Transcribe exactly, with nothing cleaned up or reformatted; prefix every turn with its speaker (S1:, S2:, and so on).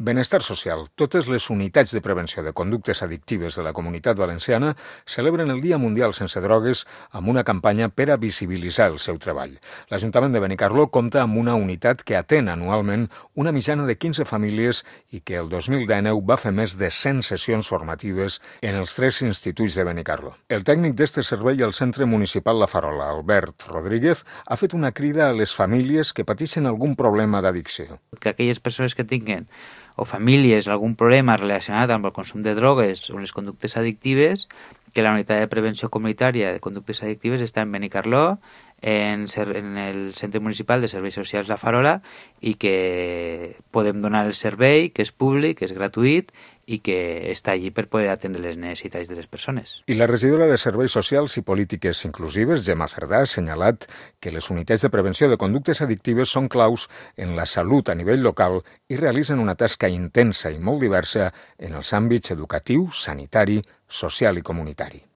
S1: Benestar social. Totes les unitats de prevenció de conductes addictives de la Comunitat Valenciana celebren el Dia Mundial Sense Drogues amb una campanya per a visibilitzar el seu treball. L'Ajuntament de Benicarló compta amb una unitat que atén anualment una mitjana de quinze famílies i que el dos mil dinou va fer més de cent sessions formatives en els tres instituts de Benicarló. El tècnic d'este servei al Centre Municipal La Farola, Albert Rodríguez, ha fet una crida a les famílies que pateixen algun problema d'addicció.
S2: Que aquelles persones que tinguen o famílies algun problema relacionat amb el consum de drogues o les conductes addictives, que la unitat de prevenció comunitària de conductes addictives està en Benicarló, en, en el Centre Municipal de Serveis Socials La Farola, i que podem donar el servei, que és públic, que és gratuït i que està allí per poder atendre les necessitats de les persones.
S1: I la regidora de Serveis Socials i Polítiques Inclusives, Gemma Cerdà, ha assenyalat que les unitats de prevenció de conductes addictives són claus en la salut a nivell local i realitzen una tasca intensa i molt diversa en els àmbits educatiu, sanitari, social i comunitari.